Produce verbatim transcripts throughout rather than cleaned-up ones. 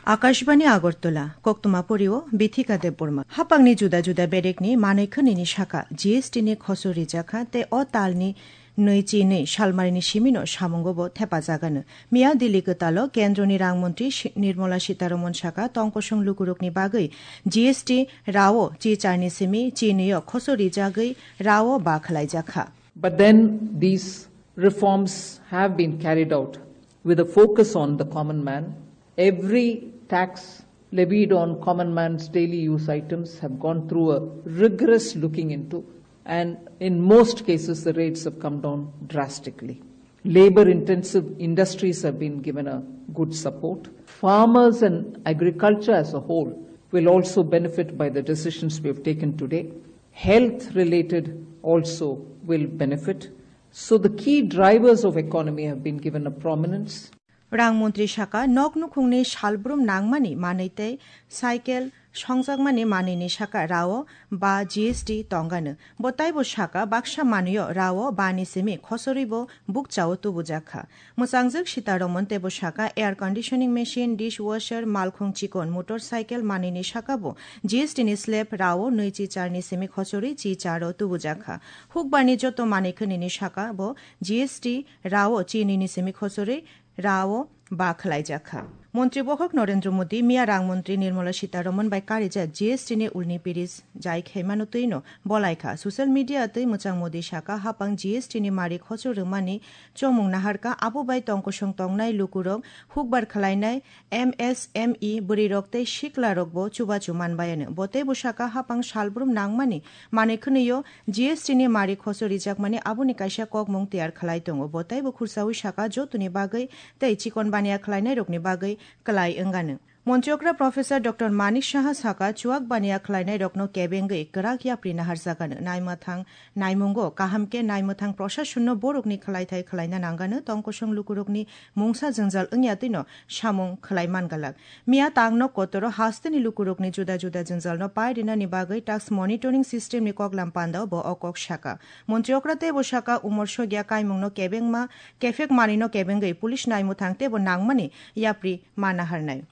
Akashbani Agartala, koktwma porio Bithika Debbarma. Hapangni juda juda bedekni manwi khwnini saka G S T ni khoso rijakha tei o talni nwi chi nwi salmarini simino samungo bo thepajagano. Miya Delhi kwtalo Kendroni Rang Montri Shi-, Nirmala Sitaraman saka tongkosong lukurokni bagwi G S T rao chi charni simi chi nwi o khoso rijagwi rao ba khwlaijakha. But then these reforms have been carried out with a focus on the common man. Every tax levied on common man's daily use items have gone through a rigorous looking into, and in most cases, the rates have come down drastically. Labor intensive industries have been given a good support. Farmers and agriculture as a whole will also benefit by the decisions we have taken today. Health related also will benefit. So the key drivers of economy have been given a prominence. Rang Montri saka, nok nukhungni salbrum nangmani manwi tei cycle songjakmani manwini saka rao ba G S T tongano. Bo taibo saka, baksa manwio rao ba ni simi khosorwi bo bukchao tubujakha. Mwchangjwk Sitaramon teibo saka, air conditioning machine, dishwasher, malkhung chikon, motorcycle manwini saka bo G S T ni slab rao nwi chi charni simi khosorwi chi charo tubujakha. Hukbarni joto manwi khwnini saka bo G S T rao chi nini simi khosorwi rao ba khwlaijakha. Montri bokhok Narendra Modi miya Rang Montri Nirmala Sitaraman bai karijak G S T ni ulni piris jai khaimano twino bolaikha. Social media twi mwchang Modi saka, hapang G S T ni mari khoso rwmani chomung naharka, abo bai tongkosong tongnai lukurok hukbar khwlainai M S M E bwrwirok tei siklarokbo chubachu manbayano. Bo teibo saka, hapang salbrum nangmani manwi khwnwio G S T ni mari khoso rijakmani aboni kaisa kokmung tiyar khlai tongo. Bo teibo khursaui saka, jotoni bagwi tei chikon baniya khlainairokni bagwi kwlai wngano. Montri okra Professor Doctor Manik Saha saka, chuak baniya khlainairokno kebengwi kwrak yapri naharjakano. Naimwthang naimungo kaham khe naimwthang prosasonno borokni khlaithai khlaina nangano, tongkosong lukurokni mungsa jwngjal wngya twino samung khlai mangalak. Miya tangno kotoro hasteni lukurokni juda juda jwngjalno pai rinani bagwi tax monitoring system ni koklam pandao bo o kok saka. Montri okra teibo saka, umor sogya kaimungno kebengma kephek manwino kebengwi police naimwthang teibo nangmani yapri ma naharnai.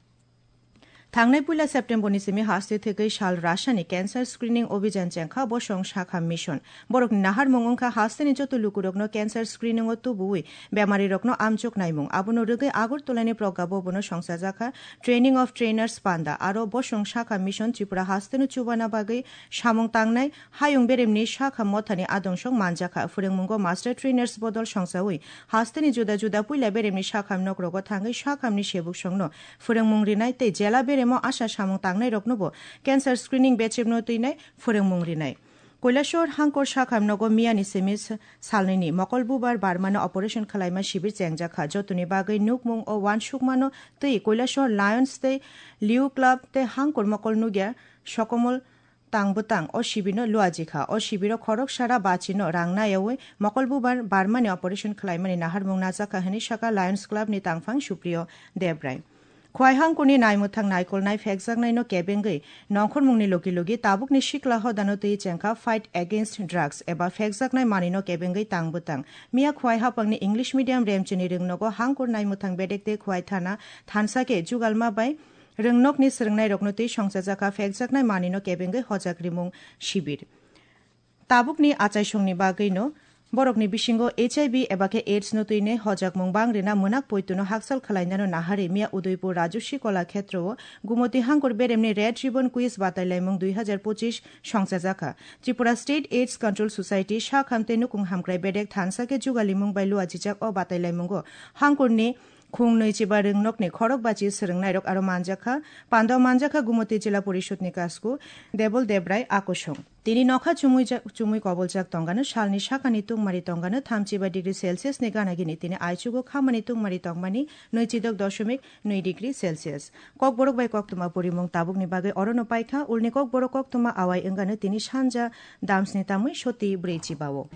Thangnai puila September ni simi haste thwgwi sal Russia ni cancer screening obhijan chengkha bosong sakha mission. Borokni naharmung wngkha hasteni joto lukurokno cancer screening o tubuwi bemarirokno amchuk naimung. Abono rwgwi Agartala ni Pragya Bhavan o songchajakha Training of Trainers panda. Aro bosong sakha mission Tripura hasteno chubana bagwi samung tangnai hayung beremni sakham mothani adong song manjakha. Phwrwngmungo master trainers bodol songchaui hasteni juda juda puila beremni sakham nokrogo thangwi sakhamni sebuksongno phwrwngmung rinai tei jela beremo asa samung tangnairoknobo cancer screening bechepno twinai phwrwngmung rinai. Koilashahar hangkor sakham nogo miyani simi s-, salnwini mokol bubar barmano operation khwlaima sibir chengjakha. Jotoni bagwi nukmung o uansukmano twi Koilashahar Lions tei Liu Club tei hangkor mokol nugya Sokomol Tangbwtang o sibirno luajikha. O sibiro khorok sara bachino rang nayaui mokol bubar barmani operation khwlaimani naharmung najakha hwnwi saka Lions Club ni tangphang Supriyo Debrai. Khwai hangkuni naimwthang naikolnai phekjaknaino kebengwi nongkhormungni logi logi tabukni sikla hodano twi chengkha Fight Against Drugs eba phekjaknai manwino kebengwi Tangbwtang. Miya Khwai hapangni English medium remchini rwngnogo hangkur naimwthang bedek tei Khwai thana thansa khe jugalma bai rwngnokni swrwngnairokno twi songchajakha phekjaknai manwino kebengwi hojak rimung sibir. Tabukni achaisongni bagwino borokni bisingo H I V eba khe AIDS no twinai hojakmung bang rina mwnak poituno hakchal khwlainano naharwi miya Udaipur Rajaswi Kola Khetrao Gumoti Hangkur beremni Red Ribbon Quiz batailaimung dui hazar pochis songchajakha. Tripura State AIDS Control Society sakham tei nukung hamkrai bedek thansa khe jugalimung bai luajijak o batailaimungo Hangkurni khung nwi chiba rwngnokni khorok bachi swrwngnairok aro manjakha, pandao manjakha Gumoti Jila Porishod ni kasku Debol Debrai akosong. Tini nokha chumui ja-, chumui koboljak tongano salni sakani tungmari tongano thamchiba degree Celsius ni gana gini tini aichugo khamani tungmari tongmani nwichidok doshomik nwi degree Celsius. Kokborok bai koktwma porimung tabukni bagwi orono paikha, ulni kokborok koktwma awai wngano tini sanja damsni tamwi soti brwi chibao.